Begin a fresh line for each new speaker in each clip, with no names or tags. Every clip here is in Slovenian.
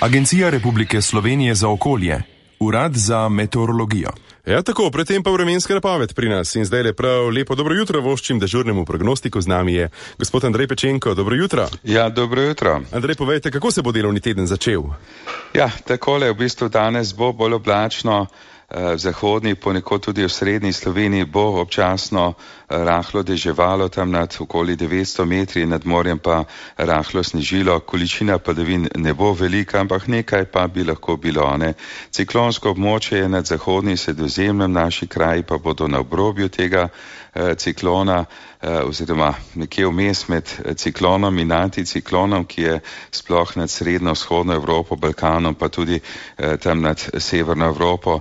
Agencija Republike Slovenije za okolje, Urad za meteorologijo.
Ja, tako, predtem pa vremenska napoved pri nas in zdaj le prav lepo dobro jutro voščim dežurnemu prognostiku. Z nami je gospod Andrej Pečenko. Dobro jutro.
Ja, dobro jutro.
Andrej, povejte, kako se bo delovni teden začel?
Ja, takole, v bistvu danes bo bolj oblačno, v zahodni, ponekod tudi v srednji Sloveniji bo občasno rahlo deževalo, tam nad okoli 900 metri, nad morjem pa rahlo snežilo. Količina padavin ne bo velika, ampak nekaj pa bi lahko bilo. Ciklonsko območje je nad zahodnim Sredozemljem, naši kraji pa bodo na obrobju tega ciklona, oziroma nekje vmes med ciklonom in anticiklonom, ki je sploh nad srednjo-vzhodno Evropo, Balkanom, pa tudi tam nad severno Evropo,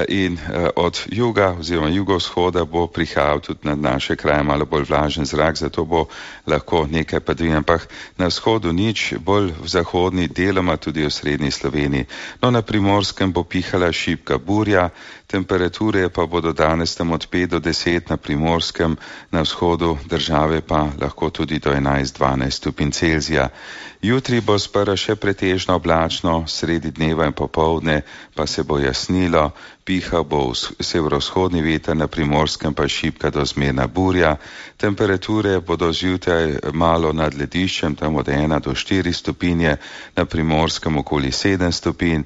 in od juga oziroma jugovzhoda bo prihajal tudi nad naše kraje malo bolj vlažen zrak, zato bo lahko nekaj padavin, ampak na vzhodu nič, bolj v zahodni, deloma tudi v srednji Sloveniji. No, na Primorskem bo pihala šibka burja, temperature pa bodo danes tam od 5 do 10 na Primorskem, na vzhodu države pa lahko tudi do 11-12 stopinj Celzija. Jutri bo sprva še pretežno oblačno, sredi dneva in popoldne pa se bo jasnilo, pihal bo severovzhodni veter, na Primorskem pa šibka do zmerna burja. Temperature bodo zjutraj malo nad lediščem, tam od 1 do 4 stopinje, na Primorskem okoli 7 stopinj.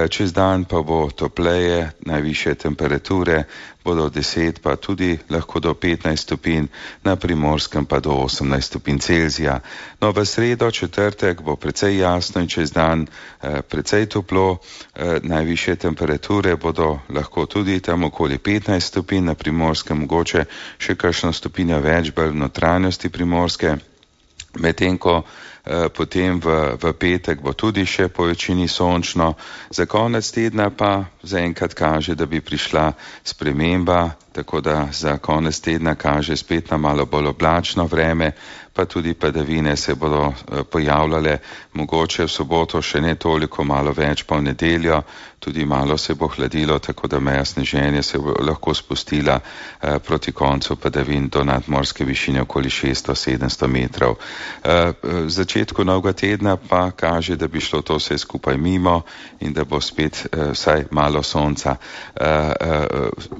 Čez dan pa bo topleje, najvišje temperature bodo od 10 pa tudi lahko do 15 stopinj, na Primorskem pa do 18 stopinj Celzija. No, v sredo, četrtek bo precej jasno in čez dan precej toplo, najvišje temperature bodo lahko tudi tam okoli 15 stopinj, na Primorskem mogoče še kakšno stopinjo več, bolj v notranjosti Primorske, medtem ko potem v petek bo tudi še po večini sončno. Za konec tedna pa zaenkrat kaže, da bi prišla sprememba, tako da za konec tedna kaže spet na malo bolj oblačno vreme, pa tudi padavine se bodo pojavljale, mogoče v soboto še ne toliko, malo več pa v nedeljo, tudi malo se bo hladilo, tako da meja sneženja se bo lahko spustila proti koncu padavin do nadmorske višine okoli 600-700 metrov. V začetku novega tedna pa kaže, da bi šlo to vse skupaj mimo in da bo spet vsaj malo sonca.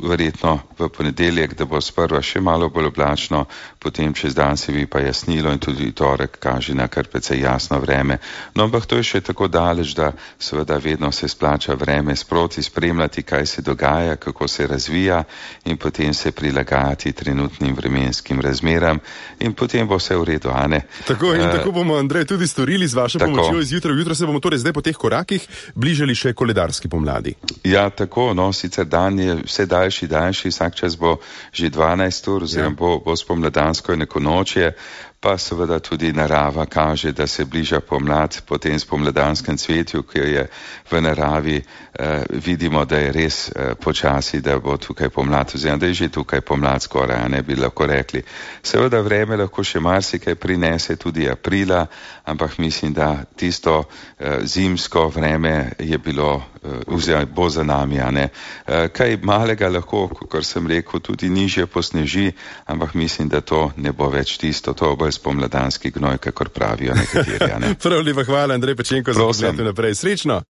Verjetno v ponedeljek, da bo sprva še malo bolj oblačno, potem čez dan se bi pa jasnilo in tudi torek kaže na kar precej jasno vreme. No, ampak to je še tako daleč, da seveda vedno se splača vreme sproti spremljati, kaj se dogaja, kako se razvija in potem se prilagajati trenutnim vremenskim razmeram in potem bo vse v redu, a ne?
Tako in tako bomo, Andrej, tudi storili z vašo pomočjo izjutraj. Jutro se bomo torej zdaj po teh korakih bližali še koledarski pomladi.
Ja, tako, no, sicer dan je vse daljši, vsak čas bo že 12 ur, oziroma bo spomladansko neko nočje, pa seveda tudi narava kaže, da se bliža pomlad, potem spomladanskem cvetju, ki je v naravi, vidimo, da je res počasi, da bo tukaj pomlad, oziroma da je že tukaj pomlad skoraj, ne bi lahko rekli. Seveda vreme lahko še marsikaj prinese, tudi aprila, ampak mislim, da tisto zimsko vreme je bilo, oziroma bo za nami, a ne. Kaj malega lahko, kot sem rekel, tudi nižje posneži, ampak mislim, da to ne bo več tisto, to bo spomladanski gnoj, kakor pravijo nekateri. Ne?
Prav lepa hvala, Andrej Pečenko, za poslušanje naprej. Srečno!